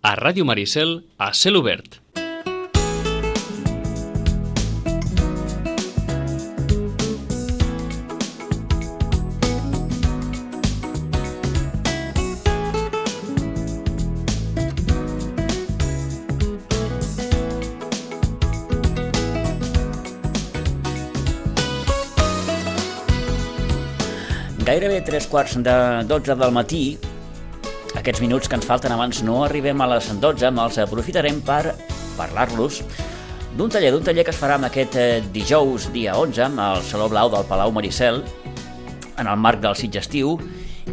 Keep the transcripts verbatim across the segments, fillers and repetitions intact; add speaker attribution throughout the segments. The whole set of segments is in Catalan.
Speaker 1: a Ràdio Maricel a cel obert.
Speaker 2: Gairebé tres quarts de dotze del matí, aquests minuts que ens falten abans no arribem a les dotze, els aprofitarem per parlar-los d'un taller, d'un taller que es farà amb aquest dijous, dia onze, al Saló Blau del Palau Maricel, en el marc del Sitgestiu,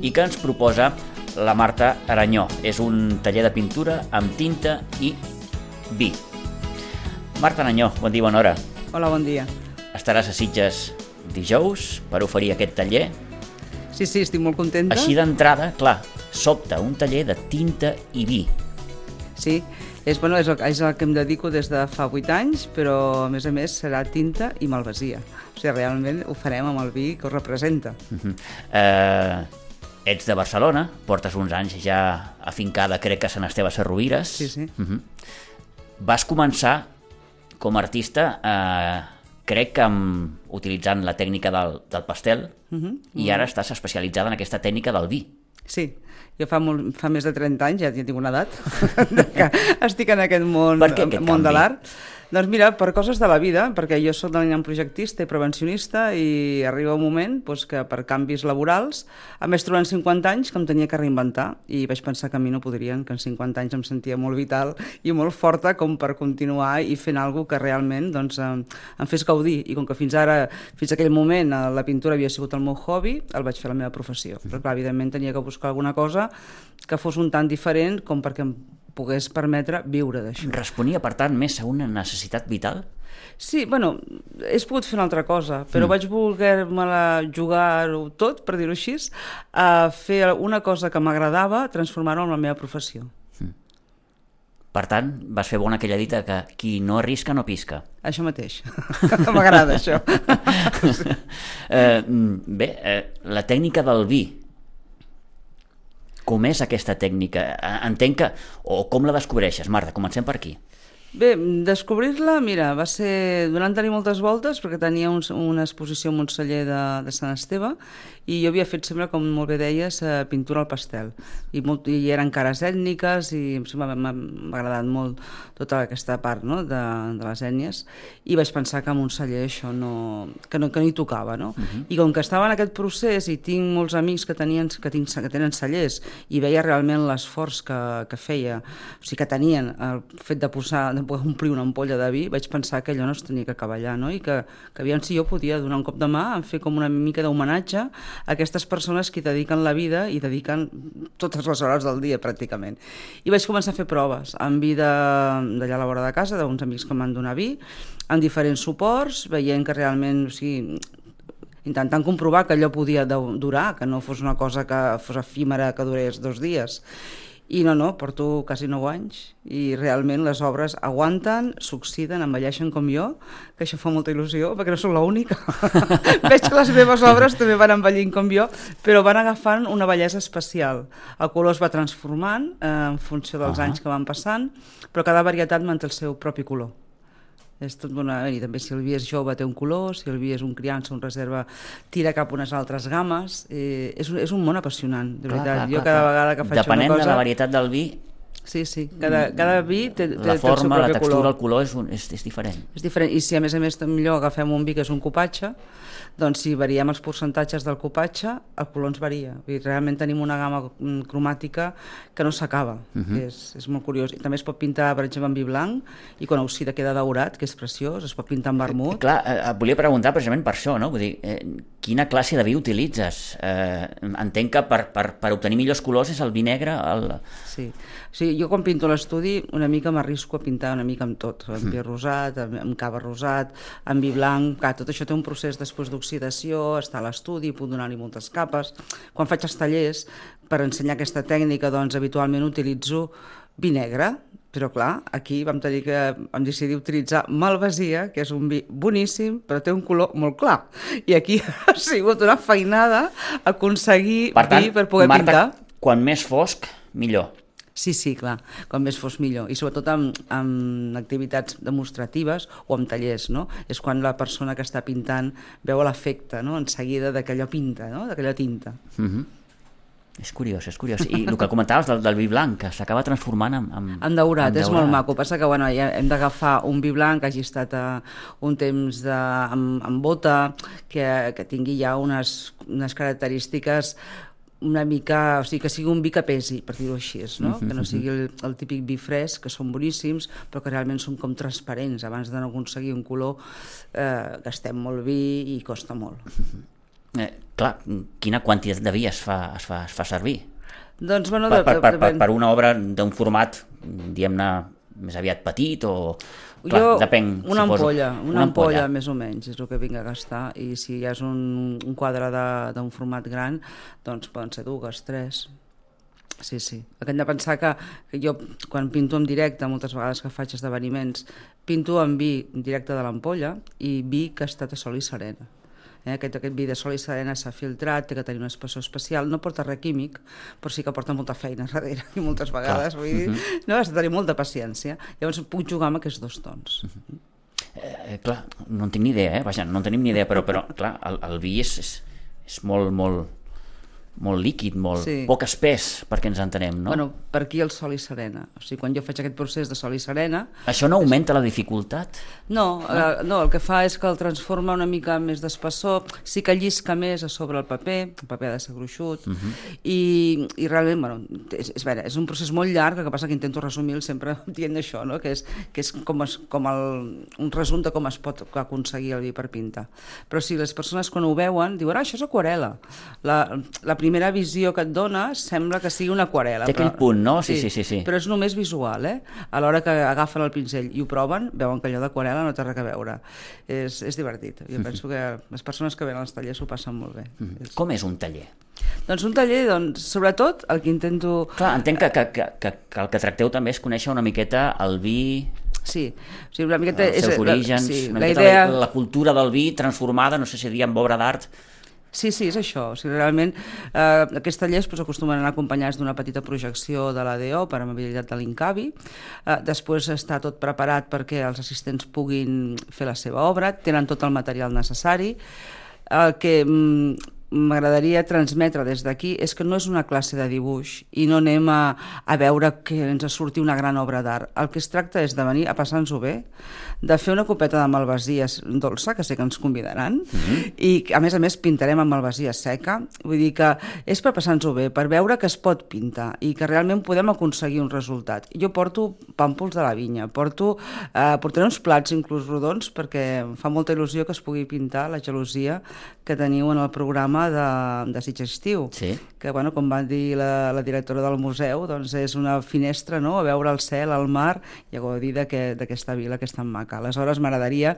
Speaker 2: i que ens proposa la Marta Aranyó. És un taller de pintura amb tinta i vi. Marta Aranyó, bon dia, bona hora.
Speaker 3: Hola, bon dia.
Speaker 2: Estaràs a Sitges dijous per oferir aquest taller.
Speaker 3: Sí, sí, estic molt contenta.
Speaker 2: Així d'entrada, clar, sobta un taller de tinta i vi.
Speaker 3: Sí, és, bueno, és, el, és el que em dedico des de fa vuit anys, però a més a més serà tinta i malvasia. O sigui, realment ho farem amb el vi que ho representa.
Speaker 2: Uh-huh. uh, ets de Barcelona, portes uns anys ja afincada, crec que a Sant Esteve Sesrovires.
Speaker 3: Sí, sí.
Speaker 2: Uh-huh. Vas començar com a artista... Uh, crec que amb, utilitzant la tècnica del, del pastel, uh-huh. i ara estàs especialitzada en aquesta tècnica del vi.
Speaker 3: Sí, jo fa, molt, fa més de trenta anys, ja, ja tinc una edat, que estic en aquest món,
Speaker 2: per què aquest
Speaker 3: món
Speaker 2: canvi?
Speaker 3: de l'art. Doncs mira, per coses de la vida, perquè jo soc d'un projectista i prevencionista i arriba un moment doncs, que per canvis laborals, a més trobant cinquanta anys, que em tenia que reinventar i vaig pensar que a mi no podrien, que en cinquanta anys em sentia molt vital i molt forta com per continuar i fent alguna que realment doncs, em, em fes gaudir. I com que fins ara, fins a aquell moment, la pintura havia sigut el meu hobby, el vaig fer la meva professió. Però clar, evidentment tenia que buscar alguna cosa que fos un tant diferent com perquè em pogués permetre viure d'això.
Speaker 2: Responia, per tant, més a una necessitat vital?
Speaker 3: Sí, bueno, he pogut fer una altra cosa, però mm. vaig voler-me-la jugar-ho tot, per dir-ho així, a fer una cosa que m'agradava, transformar-ho en la meva professió.
Speaker 2: Mm. Per tant, vas fer bona aquella dita que qui no arrisca no pisca.
Speaker 3: Això mateix. M'agrada, això.
Speaker 2: Sí. eh, bé, eh, la tècnica del vi, com és aquesta tècnica? Entenc que... O com la descobreixes, Marta? Comencem per aquí.
Speaker 3: Bé, descobrir-la, mira, va ser donant-li moltes voltes perquè tenia un, una exposició a Montseller de, de Sant Esteve i jo havia fet sempre, com molt bé deies, pintura al pastel. I, molt, i eren cares ètniques i m'ha agradat molt tota aquesta part, no?, de, de les ètnies, i vaig pensar que a Montseller això no, que no, que no hi tocava, no? Uh-huh. I com que estava en aquest procés i tinc molts amics que, tenien, que, tinc, que tenen cellers i veia realment l'esforç que, que feia, o sigui, que tenien el fet de posar... de poder omplir una ampolla de vi, vaig pensar que allò no es tenia que acabar allà, no? I que, que aviam si jo podia donar un cop de mà en fer com una mica d'homenatge a aquestes persones que hi dediquen la vida i dediquen totes les hores del dia, pràcticament. I vaig començar a fer proves amb vi d'allà a la vora de casa, d'uns amics que m'han donat vi, amb diferents suports, veient que realment, o sigui, intentant comprovar que allò podia durar, que no fos una cosa que fos efímera, que durés dos dies. I no, no, porto quasi nou anys i realment les obres aguanten, s'oxiden, envelleixen com jo, que això fa molta il·lusió, perquè no soc l'única. Veig que les meves obres també van envellint com jo, però van agafant una bellesa especial. El color es va transformant eh, en funció dels uh-huh. anys que van passant, però cada varietat manté el seu propi color. És tot bona... I també si el vi és jove té un color, si el vi és un criança, un reserva, tira cap a unes altres gammes. Eh, és, un, és un món apassionant, de
Speaker 2: clar,
Speaker 3: veritat.
Speaker 2: Clar,
Speaker 3: jo
Speaker 2: clar,
Speaker 3: cada
Speaker 2: clar.
Speaker 3: vegada que faig
Speaker 2: Depenent
Speaker 3: una cosa...
Speaker 2: de la varietat del vi...
Speaker 3: Sí, sí, cada, cada vi té, té,
Speaker 2: la forma,
Speaker 3: té el seu propi
Speaker 2: la textura,
Speaker 3: color.
Speaker 2: el color és, un, és, és diferent.
Speaker 3: És diferent, i si a més a més millor agafem un vi que és un copatge, doncs si variem els percentatges del copatge, el color ens varia. I realment tenim una gamma cromàtica que no s'acaba, uh-huh. és, és molt curiós. I també es pot pintar, per exemple, en vi blanc, i quan oxida queda daurat, que és preciós, es pot pintar en vermut.
Speaker 2: Eh, clar, eh, et volia preguntar precisament per això, no? Vull dir, eh, quina classe de vi utilitzes? Eh, entenc que per, per, per obtenir millors colors és el vi negre... El...
Speaker 3: Sí. O sigui, jo quan pinto l'estudi una mica m'arrisco a pintar una mica amb tot, amb vi rosat, amb, amb cava rosat, amb vi blanc, clar, tot això té un procés després d'oxidació, està a l'estudi, puc donar-li moltes capes. Quan faig els tallers, per ensenyar aquesta tècnica, doncs habitualment utilitzo vi negre, però clar, aquí vam tenir que vam decidir utilitzar malvasia, que és un vi boníssim, però té un color molt clar. I aquí ha sigut una feinada aconseguir
Speaker 2: per tant,
Speaker 3: vi per poder
Speaker 2: Marta,
Speaker 3: pintar.
Speaker 2: Quan més fosc, millor.
Speaker 3: Sí, sí, clar, com més fos millor. I sobretot amb, amb activitats demostratives o amb tallers, no? És quan la persona que està pintant veu l'efecte, no?, en seguida de que allò pinta, no?, d'aquella tinta.
Speaker 2: Mm-hmm. És curiós, és curiós. I el que comentaves del, del vi blanc, que s'acaba transformant en, en,
Speaker 3: en daurat,
Speaker 2: en
Speaker 3: és
Speaker 2: daurat.
Speaker 3: molt maco. Passa que bueno, ja hem d'agafar un vi blanc que hagi estat uh, un temps de, amb, amb bota, que, que tingui ja unes, unes característiques una mica, o sigui, que sigui un vi que pesi, per dir-ho així, no? Que no sigui el, el típic vi fresc, que són boníssims, però que realment són com transparents. Abans de no aconseguir un color, eh, gastem molt vi i costa molt.
Speaker 2: Eh, clar, quina quantitat de vi es fa, es fa, es fa servir?
Speaker 3: Doncs, bueno,
Speaker 2: per, per, per, per,
Speaker 3: depèn.
Speaker 2: per una obra d'un format, diguem-ne, més aviat petit o... Clar,
Speaker 3: jo,
Speaker 2: depèn,
Speaker 3: una
Speaker 2: suposo.
Speaker 3: ampolla, una,
Speaker 2: una ampolla,
Speaker 3: ampolla més o menys, és el que vinc a gastar, i si ja és un, un quadre d'un format gran, doncs poden ser dues, tres. Sí, sí. El que hem de pensar que, que jo, quan pinto en directe, moltes vegades que faig esdeveniments, pinto amb vi directe de l'ampolla i vi que ha estat a sol i serena. Eh, aquest, aquest vi de sol i serena s'ha filtrat, té que tenir un espessor especial, no porta res químic, però sí que porta molta feina darrere, i moltes vegades, vull dir, uh-huh. no, has de tenir molta paciència. Llavors puc jugar amb aquests dos tons. Uh-huh.
Speaker 2: eh, clar, no en tinc ni idea, eh? Vaja, no en tenim ni idea, però, però clar, el, el vi és, és, és molt, molt, molt líquid, molt
Speaker 3: sí.
Speaker 2: poc espès, perquè ens entenem, no?
Speaker 3: Bueno, per aquí el sol i serena. O sigui, quan jo faig aquest procés de sol i serena...
Speaker 2: Això no augmenta és... la dificultat?
Speaker 3: No, no? Eh, no, el que fa és que el transforma una mica més d'espessor, sí que llisca més a sobre el paper, el paper ha de ser gruixut, uh-huh. i, i realment, bueno, és, és, veure, és un procés molt llarg, el que passa que intento resumir sempre dient això, no? que és, que és com, es, com el, un resum de com es pot aconseguir el vi per pintar. Però si les persones quan ho veuen diuen, ah, això és aquarel·la. La, la primera visió que et dona sembla que sigui una aquarel·la.
Speaker 2: Té aquell
Speaker 3: però,
Speaker 2: punt, no? Sí, sí, sí, sí.
Speaker 3: Però és només visual, eh? A l'hora que agafen el pinzell i ho proven, veuen que allò d'aquarel·la no té res a veure. És, és divertit. Jo penso que les persones que venen als tallers ho passen molt bé.
Speaker 2: Mm. Com és un taller?
Speaker 3: Doncs un taller, doncs, sobretot, el que intento...
Speaker 2: Clar, entenc que, que, que, que, que el que tracteu també és conèixer una miqueta el vi...
Speaker 3: Sí, o sigui, una miqueta...
Speaker 2: Els seus
Speaker 3: és,
Speaker 2: orígens,
Speaker 3: sí,
Speaker 2: una
Speaker 3: la
Speaker 2: miqueta
Speaker 3: idea...
Speaker 2: la, la cultura del vi transformada, no sé si dir amb obra d'art...
Speaker 3: Sí, sí, és això. O sigui, realment, eh, aquests tallers pues, acostumen a anar acompanyats d'una petita projecció de l'A D O per amabilitat de l'Incavi. Eh, després està tot preparat perquè els assistents puguin fer la seva obra, tenen tot el material necessari. El que mm, m'agradaria transmetre des d'aquí és que no és una classe de dibuix i no anem a, a veure que ens surti una gran obra d'art. El que es tracta és de venir a passar-nos-ho bé, de fer una copeta de malvasia dolça, que sé que ens convidaran, mm-hmm. i a més a més pintarem amb malvasia seca, vull dir que és per passar-nos-ho bé, per veure que es pot pintar i que realment podem aconseguir un resultat. Jo porto pàmpols de la vinya, porto, eh, portaré uns plats inclús rodons perquè em fa molta il·lusió que es pugui pintar la gelosia que teniu en el programa de, de Sitges Estiu,
Speaker 2: sí.
Speaker 3: que bueno, com va dir la, la directora del museu, doncs és una finestra, no?, a veure el cel, el mar i a gaudir d'aquesta vila que és tan maca. Aleshores m'agradaria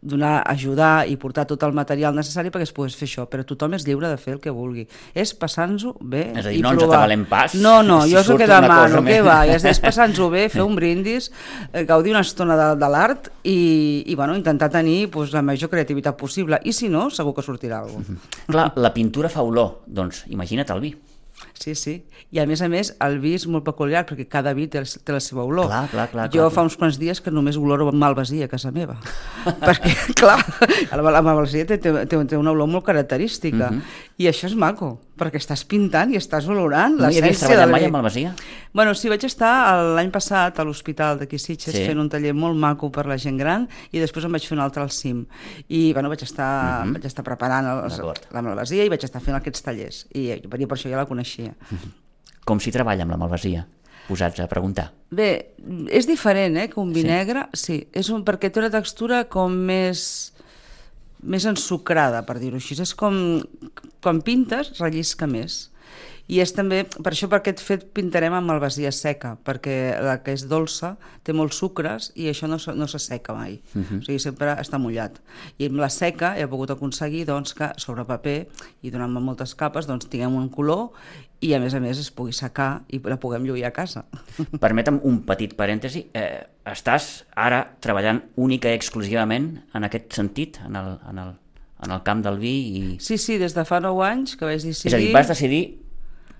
Speaker 3: donar, ajudar i portar tot el material necessari perquè es pogués fer això, però tothom és lliure de fer el que vulgui. És passar-nos-ho bé
Speaker 2: és a dir,
Speaker 3: i
Speaker 2: no
Speaker 3: provar.
Speaker 2: ens atabalem pas.
Speaker 3: No, no,
Speaker 2: si
Speaker 3: jo és el que demano, què
Speaker 2: més...
Speaker 3: va? És, és passar-nos-ho bé, fer un brindis, eh, gaudir una estona de, de l'art i, i bueno, intentar tenir pues, la major creativitat possible. I si no, segur que sortirà alguna cosa.
Speaker 2: Mm-hmm. Clar, la pintura fa olor, doncs imagina't el vi.
Speaker 3: Sí, sí. I a més a més, el vi és molt peculiar perquè cada vi té, té la seva olor.
Speaker 2: Clar, clar, clar,
Speaker 3: jo
Speaker 2: clar,
Speaker 3: fa uns quants dies que només oloro malvasia a casa meva. perquè, clar, la malvasia té, té, té una olor molt característica. Uh-huh. I això és maco, perquè estàs pintant i estàs olorant
Speaker 2: no
Speaker 3: l'essència del vi.
Speaker 2: No hi havies treballat mai amb malvasia?
Speaker 3: Bueno, sí, vaig estar l'any passat a l'hospital d'aquí Sitges sí. fent un taller molt maco per la gent gran i després em vaig fer un altre al cim. I bueno, vaig estar, uh-huh. vaig estar preparant els, la malvasia i vaig estar fent aquests tallers. I, i per això ja la coneixia.
Speaker 2: Uh-huh. Com s'hi treballa amb la malvasia? Posats a preguntar.
Speaker 3: Bé, és diferent, eh, que un vi
Speaker 2: sí.
Speaker 3: negre, sí, és un, perquè té una textura com més, més ensucrada, per dir-ho així. És com, quan pintes, rellisca més. I és també, per això per aquest fet pintarem amb malvasia seca, perquè la que és dolça té molts sucres i això no, no s'asseca mai, uh-huh. o sigui, sempre està mullat. I amb la seca he pogut aconseguir doncs, que sobre paper i donant-me moltes capes doncs, tinguem un color i a més a més es pugui secar i la puguem lluir a casa.
Speaker 2: Permetem un petit parèntesi. Eh, estàs ara treballant única i exclusivament en aquest sentit, en el, en el, en el camp del vi? I...
Speaker 3: Sí, sí, des de fa nou anys que vaig decidir...
Speaker 2: És a dir, vas decidir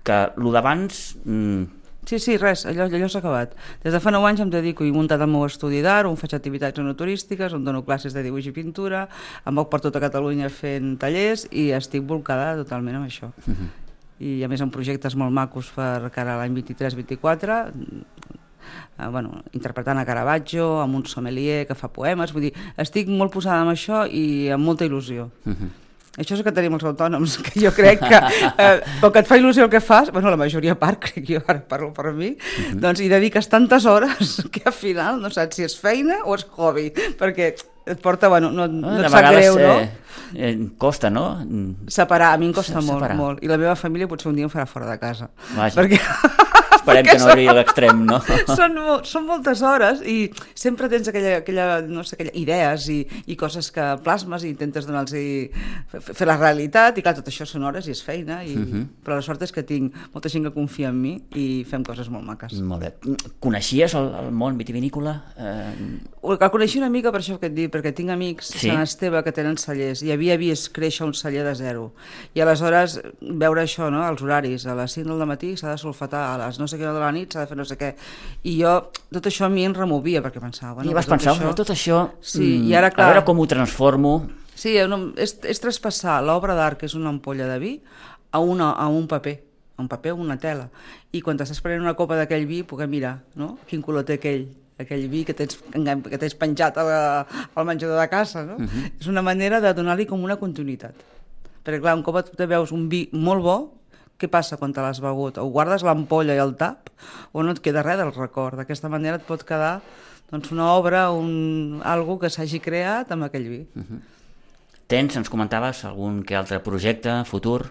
Speaker 2: que el d'abans mmm,
Speaker 3: Sí, sí, res, allò, allò s'ha acabat. Des de fa nou anys em dedico i he muntat el meu estudi d'art, on faig activitats enoturístiques, on dono classes de dibuix i pintura, em moc per tota Catalunya fent tallers i estic volcada totalment amb això. Uh-huh. I a més amb projectes molt macos per cara a l'any vint-i-tres vint-i-quatre, eh, bueno, interpretant a Caravaggio, amb un sommelier que fa poemes, vull dir, estic molt posada amb això i amb molta il·lusió. Uh-huh. Això és el que tenim els autònoms, que jo crec que eh, com que et fa il·lusió el que fas, bueno, la majoria part, crec jo, ara parlo per mi, uh-huh. doncs hi dediques tantes hores que al final no saps si és feina o és hobby, perquè et porta, bueno, no, no, no et sap greu, no?
Speaker 1: Eh, eh, costa, no?
Speaker 3: Separar, a mi em costa molt,
Speaker 1: Separar.
Speaker 3: molt, i la meva família potser un dia em farà fora de casa.
Speaker 1: Vaja.
Speaker 3: Perquè...
Speaker 1: Esperem que no arribi a l'extrem, no?
Speaker 3: Són, són moltes hores i sempre tens aquella, aquella, no sé, aquella idees i, i coses que plasmes i intentes donar-los fer la realitat i clar, tot això són hores i és feina i, uh-huh. però la sort és que tinc molta gent que confia en mi i fem coses molt maques.
Speaker 1: Molt bé. Coneixies el, el món vitivinícola? Eh...
Speaker 3: El coneixia una mica per això que et dic, perquè tinc amics sí? a Sant Esteve que tenen cellers i havia vist créixer un celler de zero i aleshores veure això, no? Els horaris, a les cinc del matí s'ha de solfatar, a les no sé què de la nit s'ha de fer no sé què, i jo tot això a mi em removia perquè pensava bueno,
Speaker 1: i vas pensar, això... tot això
Speaker 3: sí, i ara, clar,
Speaker 1: a veure com ho transformo.
Speaker 3: Sí, és, és traspassar l'obra d'art que és una ampolla de vi a, una, a un paper un paper o una tela, i quan t'estàs prenent una copa d'aquell vi poder mirar, no? Quin color té aquell aquell vi que tens, que tens penjat a la, al menjador de casa, no? Uh-huh. És una manera de donar-li com una continuïtat, perquè clar, un cop te veus un vi molt bo, què passa quan te l'has begut? O guardes l'ampolla i el tap o no et queda res del record. D'aquesta manera et pot quedar doncs, una obra, un, algo que s'hagi creat amb aquell vi. Uh-huh.
Speaker 1: Tens, ens comentaves, algun que altre projecte futur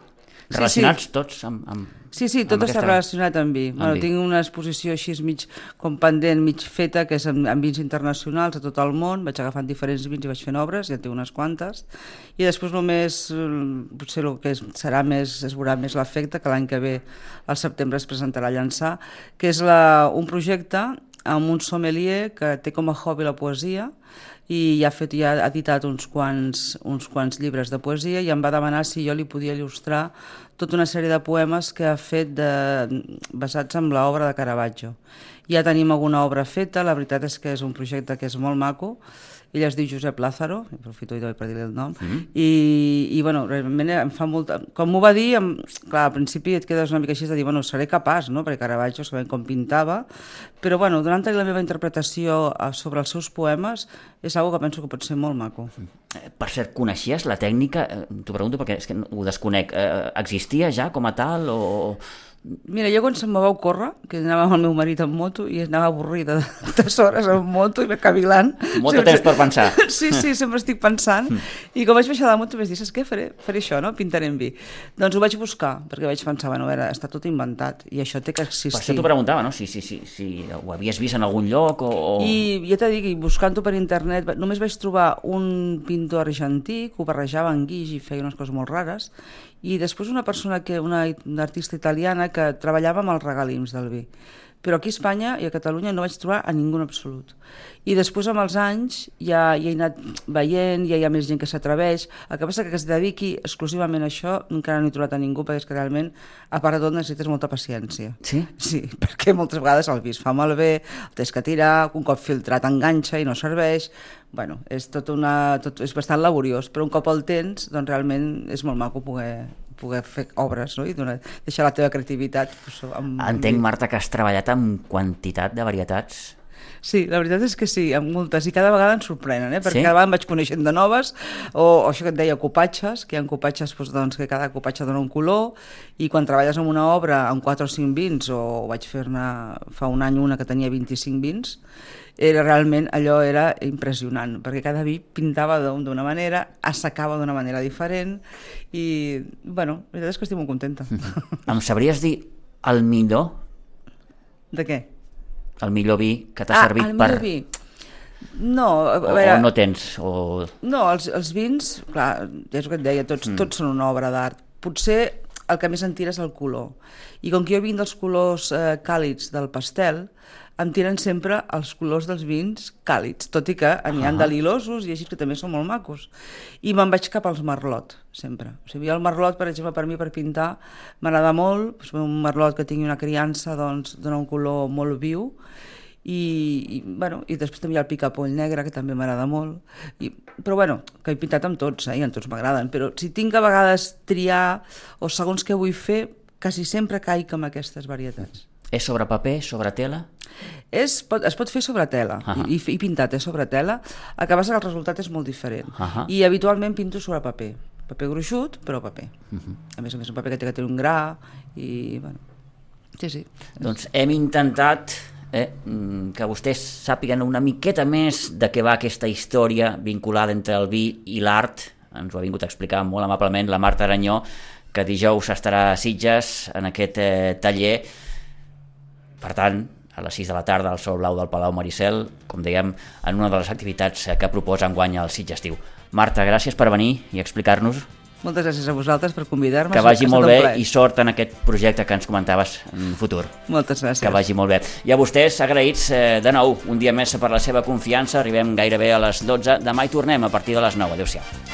Speaker 1: relacionats
Speaker 3: sí, sí.
Speaker 1: tots amb, amb
Speaker 3: Sí, sí, tot
Speaker 1: amb
Speaker 3: està
Speaker 1: aquesta...
Speaker 3: relacionat amb vi.
Speaker 1: Amb
Speaker 3: Bueno,
Speaker 1: vi.
Speaker 3: tinc una exposició així mig com pendent, mig feta, que és amb, amb vins internacionals a tot el món. Vaig agafant diferents vins i vaig fent obres, ja en tinc unes quantes. I després només, potser el que és, serà més, es veurà més l'efecte, que l'any que ve, al setembre, es presentarà a Llançà, que és la, un projecte amb un sommelier que té com a hobby la poesia i ja ha, fet, ja ha editat uns quants, uns quants llibres de poesia i em va demanar si jo li podia il·lustrar tota una sèrie de poemes que ha fet de, basats en l'obra de Caravaggio. Ja tenim alguna obra feta, la veritat és que és un projecte que és molt maco. Ell es diu Josep Lázaro, aprofito per dir-li el nom, mm-hmm. i, i bueno, realment em fa molta... Com m'ho va dir, em, clar, al principi et quedes una mica així de dir, bueno, seré capaç, no?, perquè Caravaggio sabem com pintava, però bueno, donant-li la meva interpretació sobre els seus poemes és una que penso que pot ser molt maco.
Speaker 1: Per cert, coneixies la tècnica? T'ho pregunto perquè és que ho desconec. Existia ja com a tal o...
Speaker 3: Mira, jo quan se'm va ocórrer, que anava amb el meu marit en moto i anava avorrida de tantes hores en moto i cavilant.
Speaker 1: Molt de temps per pensar.
Speaker 3: Sí, sí, sempre estic pensant. I com vaig baixar de la moto vaig dir, saps què? Faré, faré això, no? Pintaré en vi. Doncs ho vaig buscar, perquè vaig pensar, bueno, a veure, està tot inventat i això té que existir.
Speaker 1: Per això t'ho preguntava, no? Si, si, si, si ho havies vist en algun lloc o... o...
Speaker 3: I ja t'he dit, buscant-ho per internet, només vaig trobar un pintor argentí que ho barrejava en guix i feia unes coses molt rares, i després una persona, que una, una artista italiana que treballava amb els regalims del vi. Però aquí a Espanya i a Catalunya no vaig trobar a ningú en absolut. I després amb els anys ja, ja he anat veient, ja hi ha més gent que s'atreveix. El que passa que que es dediqui exclusivament a això encara no he trobat a ningú, perquè és que realment, a part de tot, necessites molta paciència.
Speaker 1: Sí?
Speaker 3: Sí, perquè moltes vegades el vi es fa malbé, el tens que tirar, un cop filtrat enganxa i no serveix. Bueno, és, tot una, tot, és bastant laboriós, però un cop el tens, doncs realment és molt maco poder... poder fer obres, no? I donar, deixar la teva creativitat. Pues, amb...
Speaker 1: Entenc, Marta, que has treballat amb quantitat de varietats.
Speaker 3: Sí, la veritat és que sí, amb moltes, i cada vegada ens sorprenen, eh? Perquè
Speaker 1: sí?
Speaker 3: cada vegada em vaig coneixent de noves, o, o això que et deia, copatges, que hi ha copatges doncs, doncs, que cada copatge dona un color, i quan treballes en una obra amb quatre o cinc vins, o vaig fer-ne fa un any una que tenia vint-i-cinc vins, era realment, allò era impressionant, perquè cada vi pintava d'una manera, assecava d'una manera diferent, i, bueno, la veritat és que estic molt contenta.
Speaker 1: Em sabries dir el millor?
Speaker 3: De què?
Speaker 1: El millor vi que t'ha
Speaker 3: ah,
Speaker 1: servit
Speaker 3: el
Speaker 1: per...
Speaker 3: millor vi. No, a
Speaker 1: o,
Speaker 3: veure...
Speaker 1: o no tens, o...
Speaker 3: No, els, els vins, clar, ja és el que et deia, tots, mm. tots són una obra d'art. Potser el que més en tira és el color. I com que jo vinc dels colors eh, càlids del pastel, em tiren sempre els colors dels vins càlids, tot i que n'hi ha de lilosos i així que també són molt macos. I me'n vaig cap als merlot, sempre. O sigui, el merlot, per exemple, per mi per pintar m'agrada molt, doncs un merlot que tingui una criança doncs dona un color molt viu, i, i, bueno, i després també hi ha el picapoll negre, que també m'agrada molt, I, però bueno, que he pintat amb tots, eh, i amb tots m'agraden, però si tinc a vegades triar, o segons què vull fer, quasi sempre caic amb aquestes varietats.
Speaker 2: És sobre paper, sobre tela?
Speaker 3: És, pot, es pot fer sobre tela, uh -huh. i, i pintat és sobre tela, el que passa que el resultat és molt diferent, uh -huh. i habitualment pinto sobre paper, paper gruixut, però paper. Uh -huh. A més a més, un paper que té que tenir un gra, i bueno, sí, sí.
Speaker 2: Doncs hem intentat eh, que vostès sàpiguen una miqueta més de què va aquesta història vinculada entre el vi i l'art. Ens ho ha vingut a explicar molt amablement la Marta Aranyó, que dijous estarà a Sitges en aquest eh, taller. Per tant, a les sis de la tarda al Sol Blau del Palau Maricel, com dèiem, en una de les activitats que proposa enguany el Sitges Estiu. Marta, gràcies per venir i explicar-nos.
Speaker 3: Moltes gràcies a vosaltres per convidar-me.
Speaker 2: Que vagi molt bé i sort en aquest projecte que ens comentaves en futur.
Speaker 3: Moltes gràcies.
Speaker 2: Que vagi molt bé. I a vostès, agraïts eh, de nou, un dia més per la seva confiança. Arribem gairebé a les dotze. Demà hi tornem a partir de les nou. Adéu-siau.